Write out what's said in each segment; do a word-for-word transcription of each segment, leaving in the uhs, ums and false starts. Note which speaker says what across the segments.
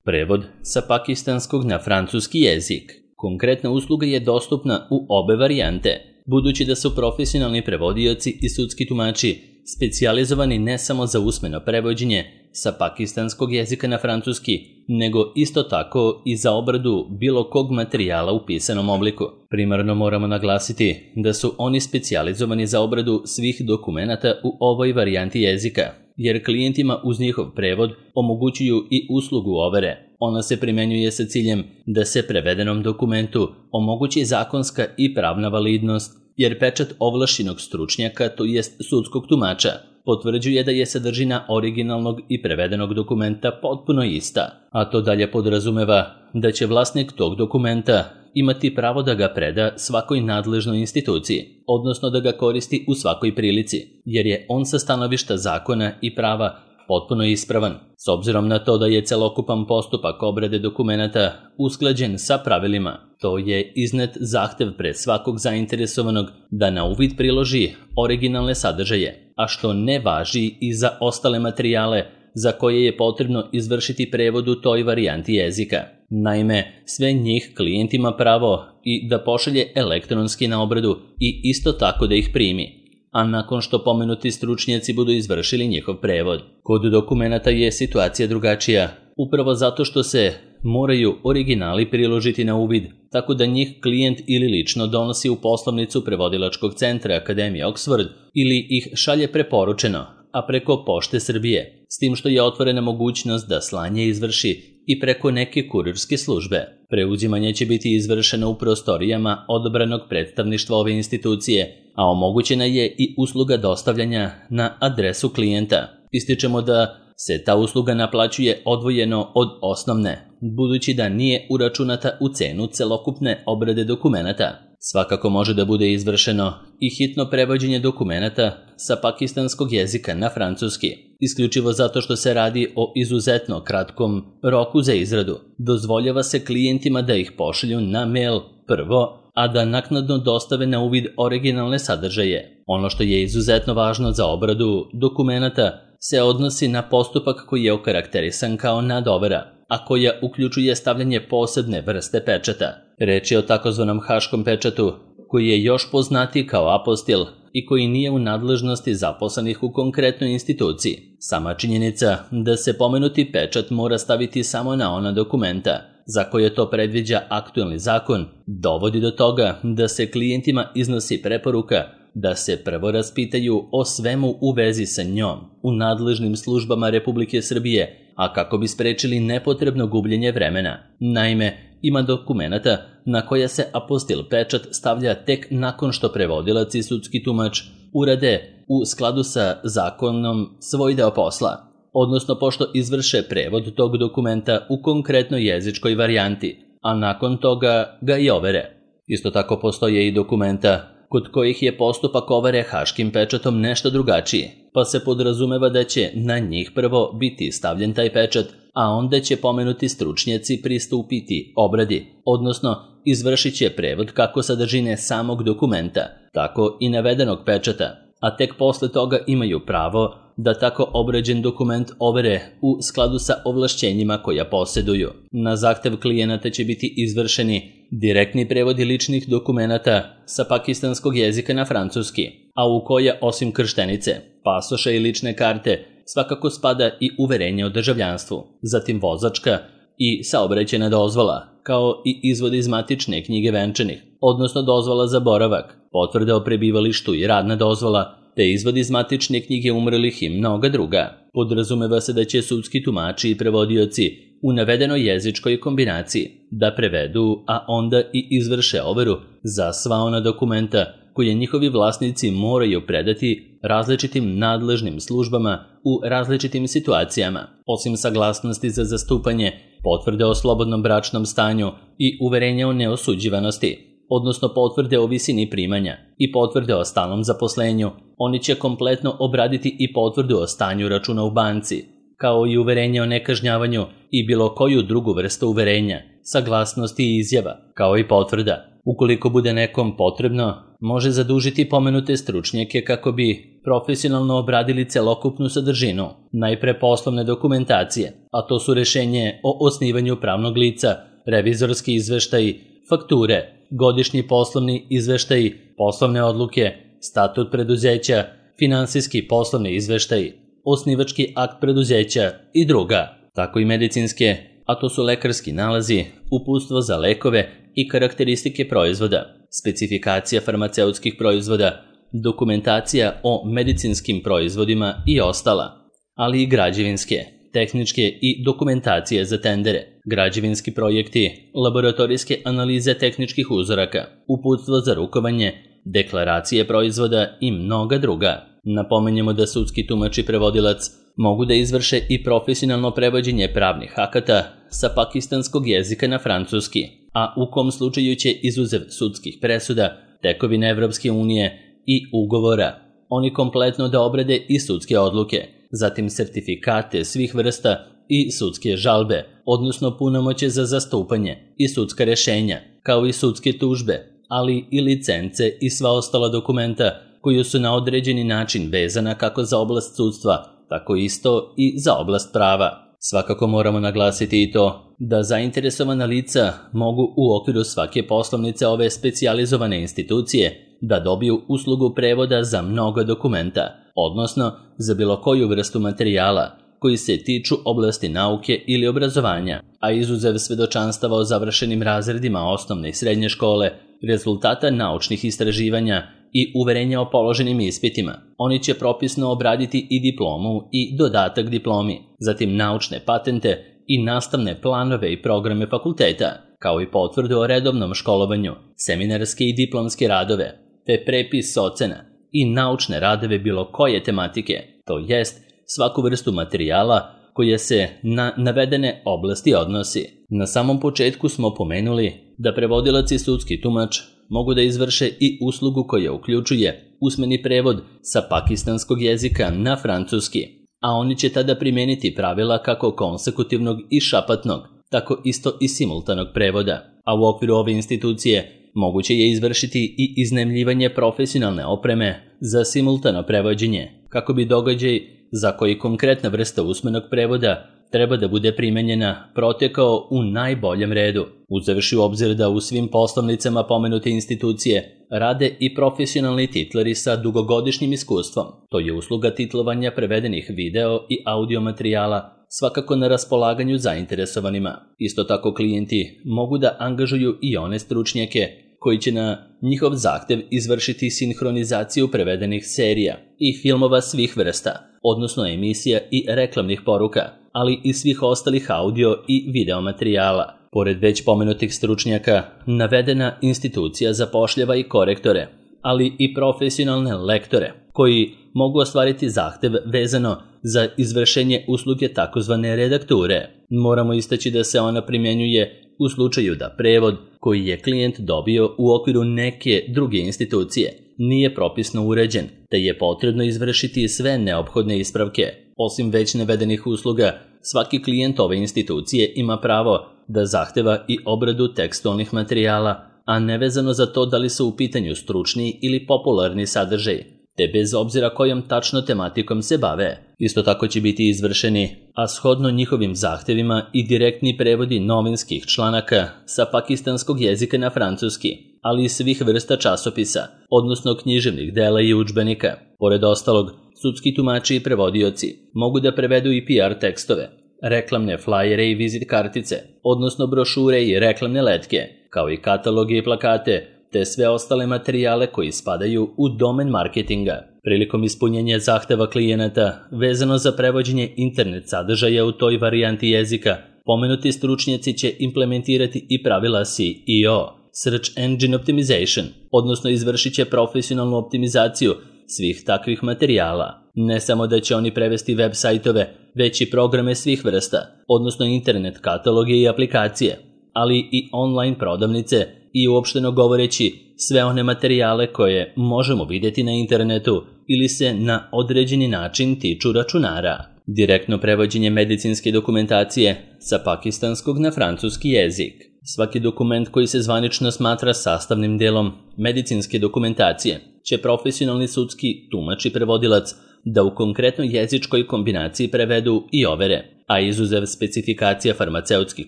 Speaker 1: Prevod sa pakistanskog na francuski jezik. Konkretna usluga je dostupna u obe varijante, budući da su profesionalni prevodioci i sudski tumači specijalizovani ne samo za usmeno prevođenje sa pakistanskog jezika na francuski, nego isto tako i za obradu bilo kog materijala u pisanom obliku. Primarno moramo naglasiti da su oni specijalizovani za obradu svih dokumenata u ovoj varijanti jezika, jer klijentima uz njihov prevod omogućuju i uslugu overe. Ona se primenjuje sa ciljem da se prevedenom dokumentu omogući zakonska i pravna validnost, jer pečat ovlašćenog stručnjaka, to jest sudskog tumača, potvrđuje da je sadržina originalnog i prevedenog dokumenta potpuno ista, a to dalje podrazumeva da će vlasnik tog dokumenta imati pravo da ga preda svakoj nadležnoj instituciji, odnosno da ga koristi u svakoj prilici, jer je on sa stanovišta zakona i prava potpuno ispravan. S obzirom na to da je celokupan postupak obrade dokumenata usklađen sa pravilima, to je iznet zahtev pred svakog zainteresovanog da na uvid priloži originalne sadržaje, a što ne važi i za ostale materijale za koje je potrebno izvršiti prevod u toj varijanti jezika. Naime, sve njih klijent ima pravo i da pošalje elektronski na obradu i isto tako da ih primi, a nakon što pomenuti stručnjaci budu izvršili njihov prevod. Kod dokumenata je situacija drugačija, upravo zato što se moraju originali priložiti na uvid, tako da njih klijent ili lično donosi u poslovnicu prevodilačkog centra Akademije Oxford ili ih šalje preporučeno, a preko Pošte Srbije, s tim što je otvorena mogućnost da slanje izvrši i preko neke kurirske službe. Preuzimanje će biti izvršeno u prostorijama odabranog predstavništva ove institucije, a omogućena je i usluga dostavljanja na adresu klijenta. Ističemo da se ta usluga naplaćuje odvojeno od osnovne, budući da nije uračunata u cenu celokupne obrade dokumenata. Svakako može da bude izvršeno i hitno prevođenje dokumenata sa pakistanskog jezika na francuski, isključivo zato što se radi o izuzetno kratkom roku za izradu. Dozvoljava se klijentima da ih pošalju na mail prvo, a da naknadno dostave na uvid originalne sadržaje. Ono što je izuzetno važno za obradu dokumenata se odnosi na postupak koji je okarakterisan kao nadovera, a koja uključuje stavljanje posebne vrste pečata. Reč je o takozvanom haškom pečatu, koji je još poznatiji kao apostil i koji nije u nadležnosti zaposlenih u konkretnoj instituciji. Sama činjenica da se pomenuti pečat mora staviti samo na ona dokumenta za koje to predviđa aktuelni zakon, dovodi do toga da se klijentima iznosi preporuka da se prvo raspitaju o svemu u vezi sa njom u nadležnim službama Republike Srbije, a kako bi sprečili nepotrebno gubljenje vremena. Naime, ima dokumenata na koja se apostil pečat stavlja tek nakon što prevodilac i sudski tumač urade u skladu sa zakonom svoj deo posla, odnosno pošto izvrše prevod tog dokumenta u konkretnoj jezičkoj varijanti, a nakon toga ga i overe. Isto tako postoje i dokumenta kod kojih je postupak overe haškim pečatom nešto drugačiji, pa se podrazumeva da će na njih prvo biti stavljen taj pečat, a onda će pomenuti stručnjaci pristupiti obradi, odnosno izvršit će prevod kako sadržine samog dokumenta, tako i navedenog pečata, a tek posle toga imaju pravo da tako obrađen dokument overe u skladu sa ovlašćenjima koja posjeduju. Na zahtev klijenata će biti izvršeni direktni prevodi ličnih dokumenata sa pakistanskog jezika na francuski, a u koje osim krštenice, pasoša i lične karte svakako spada i uverenje o državljanstvu, zatim vozačka i saobraćajna dozvola, kao i izvod iz matične knjige venčanih, odnosno dozvola za boravak, potvrda o prebivalištu i radna dozvola, te izvod iz matične knjige umrlih i mnoga druga. Podrazumeva se da će sudski tumači i prevodioci u navedenoj jezičkoj kombinaciji da prevedu, a onda i izvrše overu za sva ona dokumenta koje njihovi vlasnici moraju predati različitim nadležnim službama u različitim situacijama, osim saglasnosti za zastupanje, potvrde o slobodnom bračnom stanju i uverenja o neosuđivanosti, odnosno potvrde o visini primanja i potvrde o stalnom zaposlenju. Oni će kompletno obraditi i potvrdu o stanju računa u banci, kao i uverenje o nekažnjavanju i bilo koju drugu vrstu uverenja, saglasnosti i izjava, kao i potvrda. Ukoliko bude nekom potrebno, može zadužiti pomenute stručnjake kako bi profesionalno obradili celokupnu sadržinu, najpre poslovne dokumentacije, a to su rešenje o osnivanju pravnog lica, revizorski izveštaji, fakture, godišnji poslovni izveštaji, poslovne odluke, statut preduzeća, finansijski poslovni izveštaji, osnivački akt preduzeća i druga, tako i medicinske, a to su lekarski nalazi, uputstvo za lekove i karakteristike proizvoda, specifikacija farmaceutskih proizvoda, dokumentacija o medicinskim proizvodima i ostala, ali i građevinske, tehničke i dokumentacije za tendere, građevinski projekti, laboratorijske analize tehničkih uzoraka, uputstvo za rukovanje, deklaracije proizvoda i mnoga druga. Napomenjemo da sudski tumač i prevodilac mogu da izvrše i profesionalno prevođenje pravnih akata sa pakistanskog jezika na francuski, a u kom slučaju će izuzev sudskih presuda, tekovine Evropske unije i ugovora, oni kompletno da obrade i sudske odluke, zatim sertifikate svih vrsta i sudske žalbe, odnosno punomoće za zastupanje i sudska rešenja, kao i sudske tužbe, ali i licence i sva ostala dokumenta koji su na određeni način vezana kako za oblast sudstva, tako isto i za oblast prava. Svakako moramo naglasiti i to da zainteresovana lica mogu u okviru svake poslovnice ove specijalizovane institucije da dobiju uslugu prevoda za mnoga dokumenta, odnosno za bilo koju vrstu materijala koji se tiču oblasti nauke ili obrazovanja, a izuzev svedočanstava o završenim razredima osnovne i srednje škole, rezultata naučnih istraživanja i uverenja o položenim ispitima. Oni će propisno obraditi i diplomu i dodatak diplomi, zatim naučne patente i nastavne planove i programe fakulteta, kao i potvrdu o redovnom školovanju, seminarske i diplomske radove, te prepis ocena i naučne radove bilo koje tematike, to jest svaku vrstu materijala koja se na navedene oblasti odnosi. Na samom početku smo pomenuli da prevodilac i sudski tumač mogu da izvrše i uslugu koja uključuje usmeni prevod sa pakistanskog jezika na francuski, a oni će tada primeniti pravila kako konsekutivnog i šapatnog, tako isto i simultanog prevoda, a u okviru ove institucije moguće je izvršiti i iznajmljivanje profesionalne opreme za simultano prevođenje, kako bi događaj za koji konkretna vrsta usmenog prevoda treba da bude primenjena protekao u najboljem redu, uzevši u obzir da u svim poslovnicama pomenute institucije rade i profesionalni titlari sa dugogodišnjim iskustvom. To je usluga titlovanja prevedenih video i audio materijala svakako na raspolaganju zainteresovanima. Isto tako klijenti mogu da angažuju i one stručnjake koji će na njihov zahtev izvršiti sinhronizaciju prevedenih serija i filmova svih vrsta, odnosno emisija i reklamnih poruka, ali i svih ostalih audio i video materijala. Pored već pomenutih stručnjaka, navedena institucija zapošljava i korektore, ali i profesionalne lektore, koji mogu ostvariti zahtev vezano za izvršenje usluge takozvane redakture. Moramo istaći da se ona primjenjuje u slučaju da prevod koji je klijent dobio u okviru neke druge institucije nije propisno uređen, te je potrebno izvršiti sve neophodne ispravke. Osim već navedenih usluga, svaki klijent ove institucije ima pravo da zahteva i obradu tekstualnih materijala, a nevezano za to da li su u pitanju stručni ili popularni sadržaj, te bez obzira kojom tačno tematikom se bave. Isto tako će biti izvršeni, a shodno njihovim zahtevima, i direktni prevodi novinskih članaka sa pakistanskog jezika na francuski, ali i svih vrsta časopisa, odnosno književnih dela i udžbenika. Pored ostalog, sudski tumači i prevodioci mogu da prevedu i P R tekstove, reklamne flajere i vizit kartice, odnosno brošure i reklamne letke, kao i kataloge i plakate, te sve ostale materijale koji spadaju u domen marketinga. Prilikom ispunjenja zahteva klijenata vezano za prevođenje internet sadržaja u toj varijanti jezika, pomenuti stručnjaci će implementirati i pravila S E O, Search Engine Optimization, odnosno izvršit će profesionalnu optimizaciju svih takvih materijala. Ne samo da će oni prevesti web sajtove, već i programe svih vrsta, odnosno internet kataloge i aplikacije, ali i online prodavnice i uopšteno govoreći sve one materijale koje možemo vidjeti na internetu ili se na određeni način tiču računara. Direktno prevođenje medicinske dokumentacije sa pakistanskog na francuski jezik. Svaki dokument koji se zvanično smatra sastavnim delom medicinske dokumentacije će profesionalni sudski tumač i prevodilac da u konkretnoj jezičkoj kombinaciji prevedu i overe, a izuzev specifikacija farmaceutskih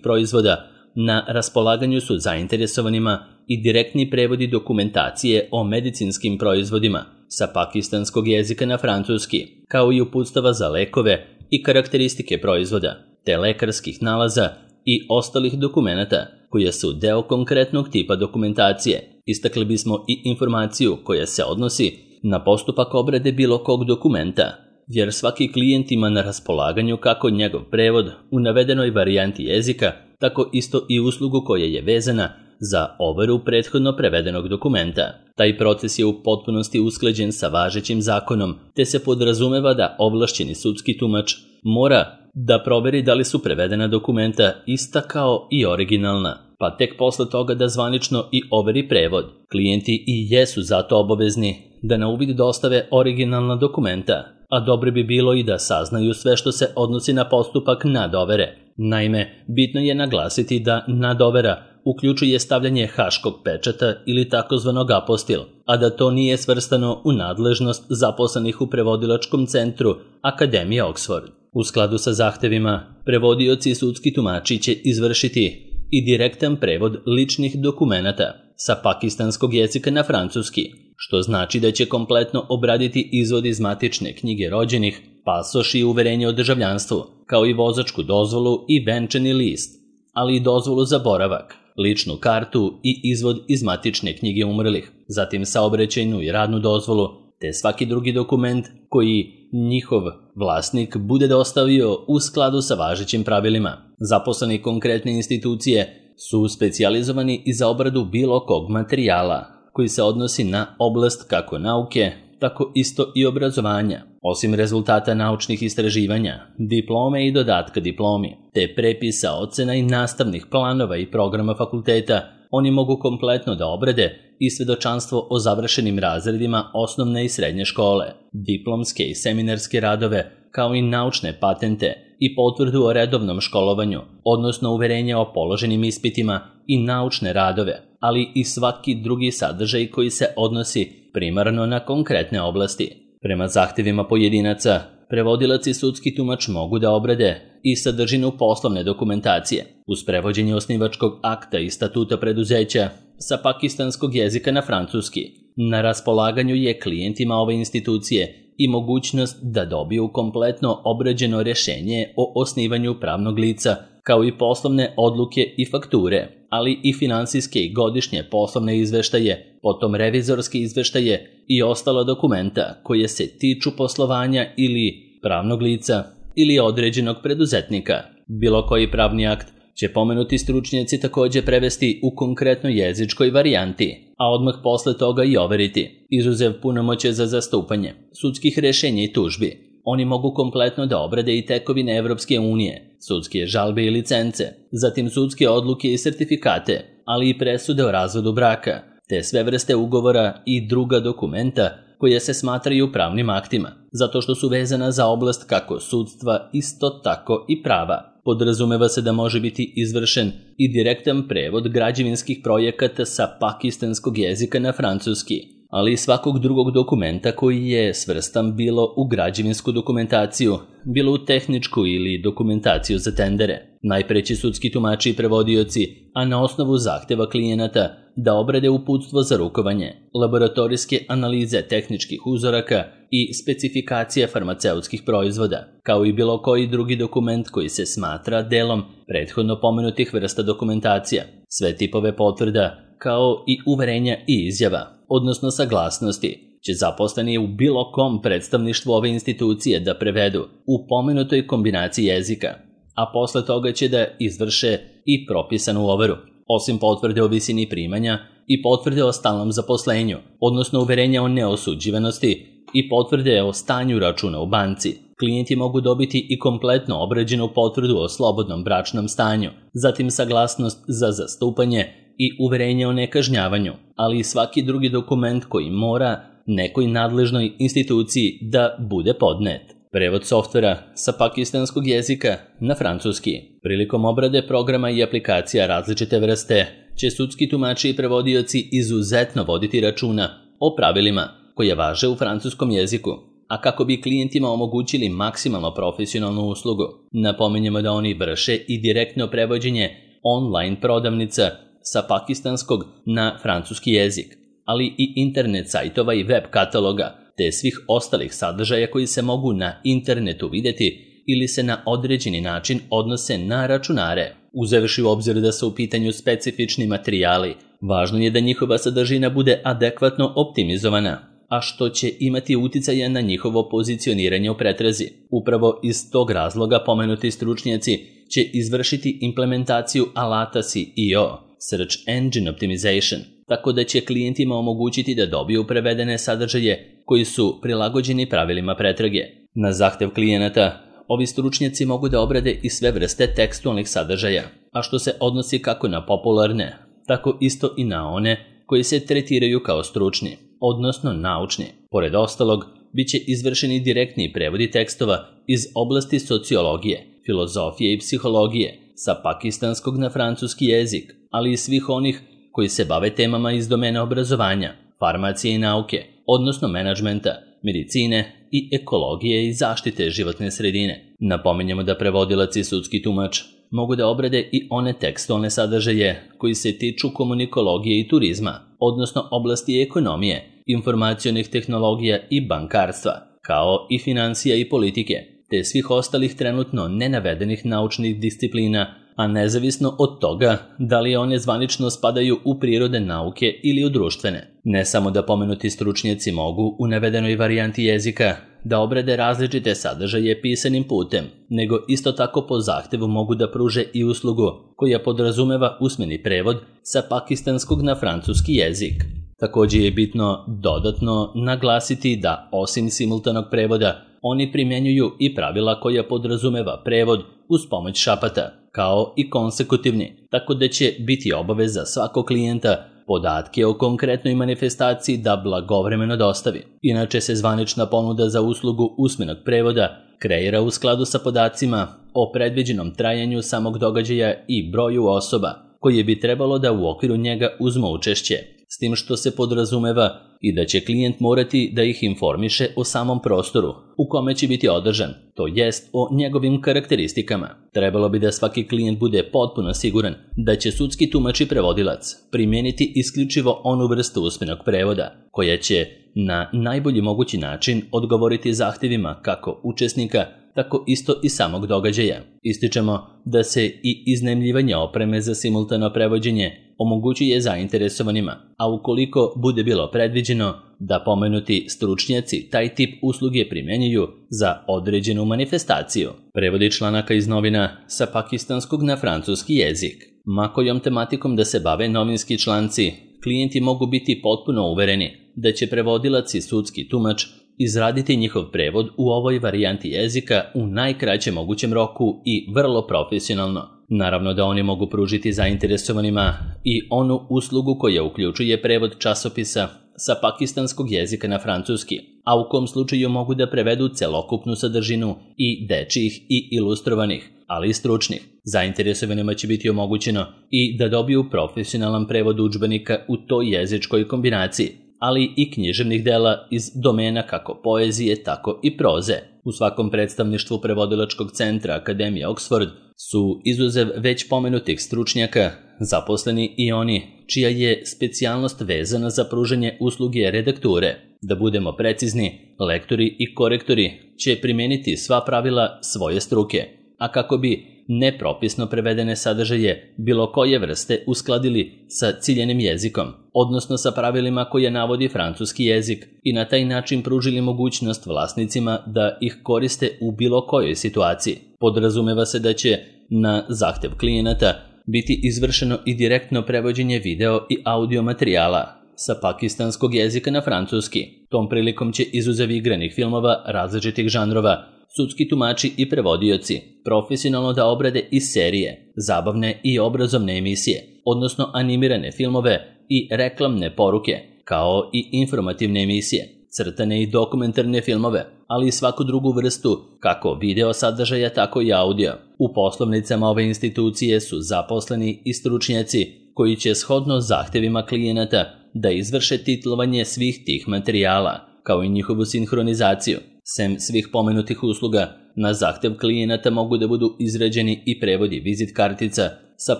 Speaker 1: proizvoda, na raspolaganju su zainteresovanima i direktni prevodi dokumentacije o medicinskim proizvodima sa pakistanskog jezika na francuski, kao i uputstava za lekove i karakteristike proizvoda, te lekarskih nalaza i ostalih dokumenata koje su deo konkretnog tipa dokumentacije. Istakli bismo i informaciju koja se odnosi na postupak obrade bilo kog dokumenta, jer svaki klijent ima na raspolaganju kako njegov prevod u navedenoj varijanti jezika, tako isto i uslugu koja je vezana za overu prethodno prevedenog dokumenta. Taj proces je u potpunosti usklađen sa važećim zakonom, te se podrazumeva da ovlašćeni sudski tumač mora da proveri da li su prevedena dokumenta ista kao i originalna, pa tek posle toga da zvanično i overi prevod. Klijenti i jesu zato obavezni da na uvid dostave originalna dokumenta, a dobro bi bilo i da saznaju sve što se odnosi na postupak nadovere. Naime, bitno je naglasiti da nadovera uključuje stavljanje haškog pečata ili takozvanog apostil, a da to nije svrstano u nadležnost zaposlenih u prevodilačkom centru Akademije Oxford. U skladu sa zahtevima, prevodioci i sudski tumači će izvršiti i direktan prevod ličnih dokumenata sa pakistanskog jezika na francuski, što znači da će kompletno obraditi izvod iz matične knjige rođenih, pasoš i uverenje o državljanstvu, kao i vozačku dozvolu i venčani list, ali i dozvolu za boravak, ličnu kartu i izvod iz matične knjige umrlih, zatim saobraćajnu i radnu dozvolu, te svaki drugi dokument koji njihov vlasnik bude dostavio u skladu sa važećim pravilima. Zaposleni konkretne institucije su specijalizovani i za obradu bilo kog materijala koji se odnosi na oblast kako nauke, tako isto i obrazovanja. Osim rezultata naučnih istraživanja, diplome i dodatka diplomi, te prepisa, ocena i nastavnih planova i programa fakulteta, oni mogu kompletno da obrade i svedočanstvo o završenim razredima osnovne i srednje škole, diplomske i seminarske radove, kao i naučne patente i potvrdu o redovnom školovanju, odnosno uverenje o položenim ispitima i naučne radove, ali i svaki drugi sadržaj koji se odnosi primarno na konkretne oblasti. Prema zahtevima pojedinaca, prevodilac i sudski tumač mogu da obrade i sadržinu poslovne dokumentacije, uz prevođenje osnivačkog akta i statuta preduzeća sa pakistanskog jezika na francuski. Na raspolaganju je klijentima ove institucije i mogućnost da dobiju kompletno obrađeno rješenje o osnivanju pravnog lica, kao i poslovne odluke i fakture, ali i finansijske i godišnje poslovne izveštaje, potom revizorske izveštaje i ostala dokumenta koje se tiču poslovanja ili pravnog lica ili određenog preduzetnika. Bilo koji pravni akt će pomenuti stručnjaci također prevesti u konkretnoj jezičkoj varijanti, a odmah posle toga i overiti, izuzev punomoće za zastupanje, sudskih rješenja i tužbi. Oni mogu kompletno da obrade i tekovine Evropske unije, sudske žalbe i licence, zatim sudske odluke i sertifikate, ali i presude o razvodu braka, te sve vrste ugovora i druga dokumenta koje se smatraju pravnim aktima, zato što su vezana za oblast kako sudstva, isto tako i prava. Podrazumeva se da može biti izvršen i direktan prevod građevinskih projekata sa pakistanskog jezika na francuski, ali i svakog drugog dokumenta koji je svrstan bilo u građevinsku dokumentaciju, bilo u tehničku ili dokumentaciju za tendere. Najpre će sudski tumači i prevodioci, a na osnovu zahteva klijenata, da obrade uputstvo za rukovanje, laboratorijske analize tehničkih uzoraka i specifikacije farmaceutskih proizvoda, kao i bilo koji drugi dokument koji se smatra delom prethodno pomenutih vrsta dokumentacija, sve tipove potvrda, kao i uverenja i izjava, odnosno saglasnosti, će zaposleni u bilo kom predstavništvu ove institucije da prevedu u pomenutoj kombinaciji jezika, a posle toga će da izvrše i propisanu overu. Osim potvrde o visini primanja i potvrde o stalnom zaposlenju, odnosno uverenja o neosuđivanosti i potvrde o stanju računa u banci, klijenti mogu dobiti i kompletno obrađenu potvrdu o slobodnom bračnom stanju, zatim saglasnost za zastupanje i uverenje o nekažnjavanju, ali i svaki drugi dokument koji mora nekoj nadležnoj instituciji da bude podnet. Prevod softvera sa pakistanskog jezika na francuski. Prilikom obrade programa i aplikacija različite vrste će sudski tumači i prevodioci izuzetno voditi računa o pravilima koje važe u francuskom jeziku, a kako bi klijentima omogućili maksimalno profesionalnu uslugu. Napominjemo da oni vrše i direktno prevođenje online prodavnica sa pakistanskog na francuski jezik, ali i internet sajtova i web kataloga, te svih ostalih sadržaja koji se mogu na internetu vidjeti ili se na određeni način odnose na računare. Uzevši u obzir da su u pitanju specifični materijali, važno je da njihova sadržina bude adekvatno optimizovana, a što će imati uticaja na njihovo pozicioniranje u pretrazi. Upravo iz tog razloga pomenuti stručnjaci će izvršiti implementaciju alata C E O, Search Engine Optimization, tako da će klijentima omogućiti da dobiju prevedene sadržaje koji su prilagođeni pravilima pretrage. Na zahtev klijenata, ovi stručnjaci mogu da obrade i sve vrste tekstualnih sadržaja, a što se odnosi kako na popularne, tako isto i na one koji se tretiraju kao stručni, odnosno naučni. Pored ostalog, bit će izvršeni direktni prevodi tekstova iz oblasti sociologije, filozofije i psihologije sa pakistanskog na francuski jezik, ali i svih onih koji se bave temama iz domena obrazovanja, farmacije i nauke, odnosno menadžmenta, medicine i ekologije i zaštite životne sredine. Napominjemo da prevodilac i sudski tumač mogu da obrade i one tekstualne sadržaje koji se tiču komunikologije i turizma, odnosno oblasti ekonomije, informacionih tehnologija i bankarstva, kao i financija i politike, te svih ostalih trenutno nenavedenih naučnih disciplina, a nezavisno od toga da li one zvanično spadaju u prirode nauke ili u društvene. Ne samo da pomenuti stručnjaci mogu u navedenoj varijanti jezika da obrade različite sadržaje pisanim putem, nego isto tako po zahtevu mogu da pruže i uslugu koja podrazumeva usmeni prevod sa pakistanskog na francuski jezik. Također je bitno dodatno naglasiti da osim simultanog prevoda, oni primjenjuju i pravila koja podrazumeva prevod uz pomoć šapata, kao i konsekutivni, tako da će biti obaveza svakog klijenta podatke o konkretnoj manifestaciji da blagovremeno dostavi. Inače se zvanična ponuda za uslugu usmenog prevoda kreira u skladu sa podacima o predviđenom trajanju samog događaja i broju osoba koje bi trebalo da u okviru njega uzmu učešće, s tim što se podrazumeva i da će klijent morati da ih informiše o samom prostoru u kome će biti održan, to jest o njegovim karakteristikama. Trebalo bi da svaki klijent bude potpuno siguran da će sudski tumač i prevodilac primijeniti isključivo onu vrstu usmenog prevoda, koja će na najbolji mogući način odgovoriti zahtjevima kako učesnika, tako isto i samog događaja. Ističemo da se i iznajmljivanje opreme za simultano prevođenje omogućuje zainteresovanima, a ukoliko bude bilo predviđeno da pomenuti stručnjaci taj tip usluge primjenjuju za određenu manifestaciju. Prevodi članaka iz novina sa pakistanskog na francuski jezik. Ma kojom tematikom da se bave novinski članci, klijenti mogu biti potpuno uvereni da će prevodilac i sudski tumač izraditi njihov prevod u ovoj varijanti jezika u najkraćem mogućem roku i vrlo profesionalno. Naravno da oni mogu pružiti zainteresovanima i onu uslugu koja uključuje prevod časopisa sa pakistanskog jezika na francuski, a u kom slučaju mogu da prevedu celokupnu sadržinu i dečjih i ilustrovanih, ali i stručnih. Zainteresovanima će biti omogućeno i da dobiju profesionalan prevod udžbenika u toj jezičkoj kombinaciji, ali i književnih dela iz domena kako poezije, tako i proze. U svakom predstavništvu prevodilačkog centra Akademije Oxford su izuzev već pomenutih stručnjaka zaposleni i oni čija je specijalnost vezana za pružanje usluge redakture. Da budemo precizni, lektori i korektori će primijeniti sva pravila svoje struke, a kako bi nepropisno prevedene sadržaje bilo koje vrste uskladili sa ciljenim jezikom, odnosno sa pravilima koje navodi francuski jezik i na taj način pružili mogućnost vlasnicima da ih koriste u bilo kojoj situaciji. Podrazumeva se da će na zahtev klijenata biti izvršeno i direktno prevođenje video i audio materijala sa pakistanskog jezika na francuski. Tom prilikom će izuzev igranih filmova različitih žanrova sudski tumači i prevodioci profesionalno da obrade i serije, zabavne i obrazovne emisije, odnosno animirane filmove i reklamne poruke, kao i informativne emisije, crtane i dokumentarne filmove, ali i svaku drugu vrstu kako video sadržaja, tako i audio. U poslovnicama ove institucije su zaposleni i stručnjaci koji će shodno zahtjevima klijenata da izvrše titlovanje svih tih materijala kao i njihovu sinhronizaciju. Sem svih pomenutih usluga, na zahtev klijenata mogu da budu izrađeni i prevodi vizit kartica sa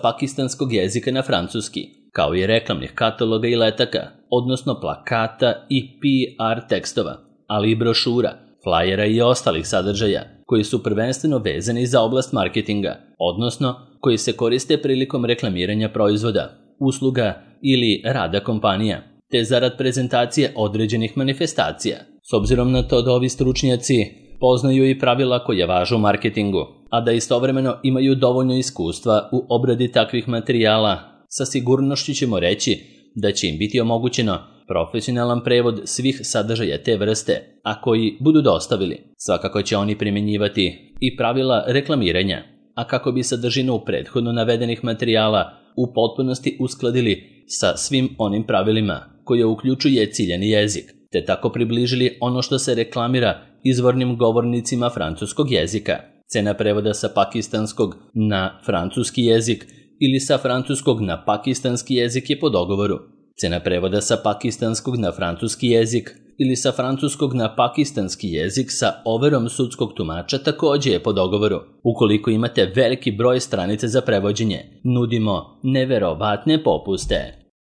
Speaker 1: pakistanskog jezika na francuski, kao i reklamnih kataloga i letaka, odnosno plakata i P R tekstova, ali i brošura, flajera i ostalih sadržaja koji su prvenstveno vezani za oblast marketinga, odnosno koji se koriste prilikom reklamiranja proizvoda, usluga ili rada kompanija, te zarad prezentacije određenih manifestacija. S obzirom na to da ovi stručnjaci poznaju i pravila koja važu u marketingu, a da istovremeno imaju dovoljno iskustva u obradi takvih materijala, sa sigurnošću ćemo reći da će im biti omogućeno profesionalan prevod svih sadržaja te vrste, a koji budu dostavili. Svakako će oni primjenjivati i pravila reklamiranja, a kako bi sadržinu prethodno navedenih materijala u potpunosti uskladili sa svim onim pravilima koje uključuje ciljani jezik, te tako približili ono što se reklamira izvornim govornicima francuskog jezika. Cena prevoda sa pakistanskog na francuski jezik ili sa francuskog na pakistanski jezik je po dogovoru. Cena prevoda sa pakistanskog na francuski jezik ili sa francuskog na pakistanski jezik sa overom sudskog tumača takođe je po dogovoru. Ukoliko imate veliki broj stranica za prevođenje, nudimo neverovatne popuste.